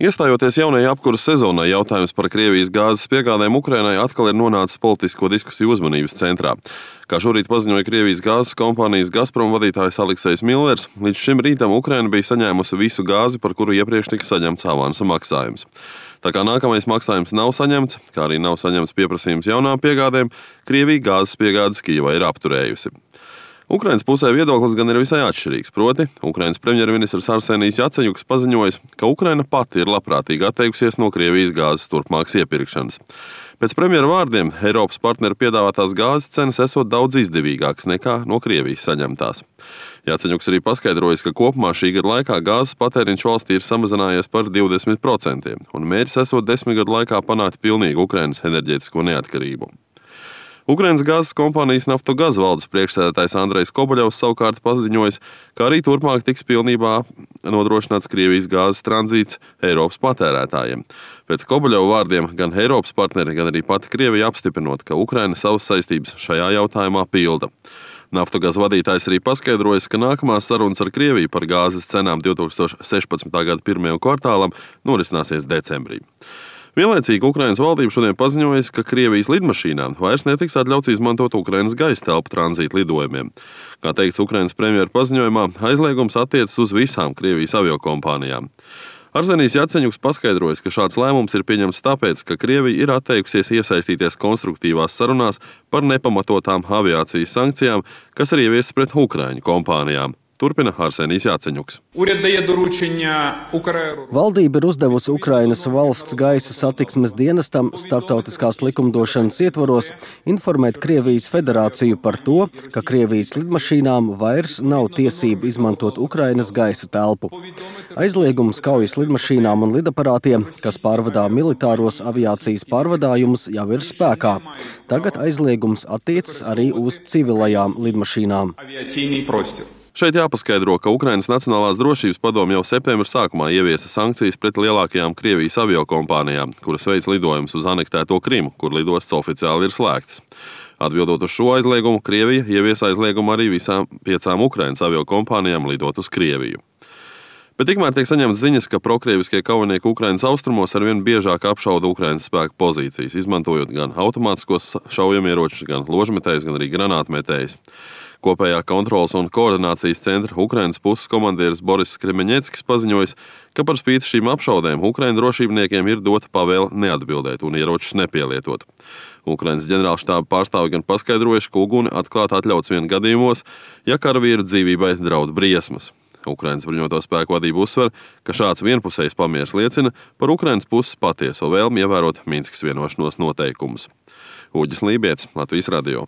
Iestājoties jaunajai apkuras sezonai, jautājums par Krievijas gāzes piegādēm Ukrainai atkal ir nonācis politisko diskusiju uzmanības centrā. Kā šorīt paziņoja Krievijas gāzes kompānijas Gazprom vadītājs Aleksejs Millers, līdz šim rītam Ukraina bija saņēmusi visu gāzi, par kuru iepriekš tika saņemts avansa maksājums. Tā kā nākamais maksājums nav saņemts, kā arī nav saņemts pieprasījums jaunām piegādēm, Krievija gāzes piegādes Kijevai ir apturējusi. Ukrainas pusē viedoklis gan ir visai atšķirīgs, proti, Ukrainas premjerministrs Arsenijs Jaceņuks paziņojis, ka Ukraina pati ir labprātīgi atteikusies no Krievijas gāzes turpmākas iepirkšanas. Pēc premjera vārdiem, Eiropas partneru piedāvātās gāzes cenas esot daudz izdevīgākas nekā no Krievijas saņemtās. Jaceņuks arī paskaidrojis, ka kopumā šī gada laikā gāzes patēriņš valstī ir samazinājies par 20%, un mērķis esot 10 gadu laikā panākt pilnīgu Ukrainas enerģētisko neatkarību. Ukrainas gāzes kompānijas Naftogaz valdes priekšsēdētājs Andrejs Kobaļovs savukārt paziņojis, ka arī turpmāk tiks pilnībā nodrošināts Krievijas gāzes tranzīts Eiropas patērētājiem. Pēc Kobaļova vārdiem gan Eiropas partneri, gan arī pati Krievija apstiprinot, ka Ukraina savas saistības šajā jautājumā pilda. Naftogaz vadītājs arī paskaidrojas, ka nākamās sarunas ar Krieviju par gāzes cenām 2016. gada pirmajam kvartālam norisināsies decembrī. Vienlaicīgi Ukrainas valdība šodien paziņojas, ka Krievijas lidmašīnām vairs netiks atļauts izmantot Ukrainas gaisa telpu tranzīta lidojumiem. Kā teikts Ukrainas premjera paziņojumā, aizliegums attiecas uz visām Krievijas aviokompānijām. Arsenijs Jaceņuks paskaidrojas, ka šāds lēmums ir pieņemts tāpēc, ka Krievija ir atteikusies iesaistīties konstruktīvās sarunās par nepamatotām aviācijas sankcijām, kas ir ieviestas pret Ukraiņu kompānijām. Turpina Arsenijs Jaceņuks. Valdība ir uzdevusi Ukrainas valsts gaisa satiksmes dienestam starptautiskās likumdošanas ietvaros informēt Krievijas federāciju par to, ka Krievijas lidmašīnām vairs nav tiesība izmantot Ukrainas gaisa telpu. Aizliegums kaujas lidmašīnām un lidaparātiem, kas pārvadā militāros aviācijas pārvadājumus, jau ir spēkā. Tagad aizliegums attiecas arī uz civilajām lidmašīnām. Šeit jāpaskaidro, ka Ukrainas Nacionālās drošības padome jau septembra sākumā ieviesa sankcijas pret lielākajām Krievijas aviokompānijām, kuras veic lidojumus uz anektēto Krimu, kur lidostas oficiāli ir slēgtas. Atbildot uz šo aizliegumu, Krievija ieviesa aizliegumu arī visām 5 Ukrainas aviokompānijām lidot uz Krieviju. Bet tikmēr tiek saņemts ziņas, ka prokrieviskie kaujinieki Ukrainas austrumos arvien biežāk apšauda Ukrainas spēku pozīcijas, izmantojot gan automātiskos šaujamieročus, gan ložmetējus, gan arī granātmetējus. Kopējā kontrolas un koordinācijas centra Ukrainas puses komandieris Boris Kremeņeckis paziņojis, ka par spīti šīm apšaudēm Ukraiņu drošībniekiem ir dota pavēle neatbildēt un ieročus nepielietot. Ukrainas ģenerālštāba pārstāvi gan paskaidrojuši, ka uguni atklāt atļauts vien gadījumos, ja karavīru dzīvībai draud briesmas. Ukrainas bruņoto spēku vadība uzsver, ka šāds vienpusējs pamieris liecina par Ukrainas puses patieso vēlmi ievērot Minskas vienošanos noteikumus. Uģis Lībietis, Latvijas radio.